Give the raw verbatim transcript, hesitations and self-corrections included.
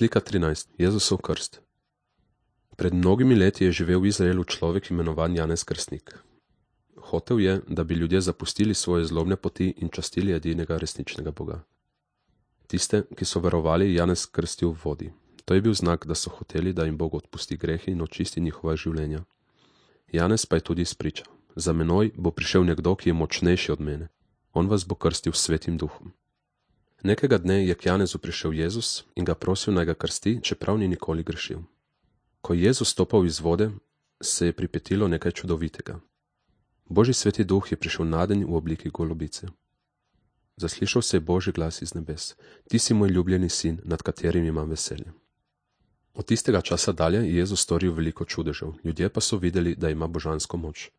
Slika trinajst. Jezusov krst. Pred mnogimi leti je živel v Izraelu človek imenovan Janez Krstnik. Hotel je, da bi ljudje zapustili svoje zlobne poti in častili edinega resničnega Boga. Tiste, ki so verovali, je Janez krstil v vodi. To je bil znak, da so hoteli, da jim Bog odpusti grehi in očisti njihova življenja. Janez pa je tudi spričal: za menoj bo prišel nekdo, ki je močnejši od mene. On vas bo krstil s Svetim duhom. Nekega dne je k Janezu prišel Jezus in ga prosil, naj ga krsti, čeprav ni nikoli grešil. Ko je Jezus stopal iz vode, se je pripetilo nekaj čudovitega. Božji Sveti duh je prišel nadenj v obliki golobice. Zaslišal se je Božji glas iz nebes: ti si moj ljubljeni sin, nad katerim imam veselje. Od tistega časa dalje je Jezus storil veliko čudežev, ljudje pa so videli, da ima božansko moč.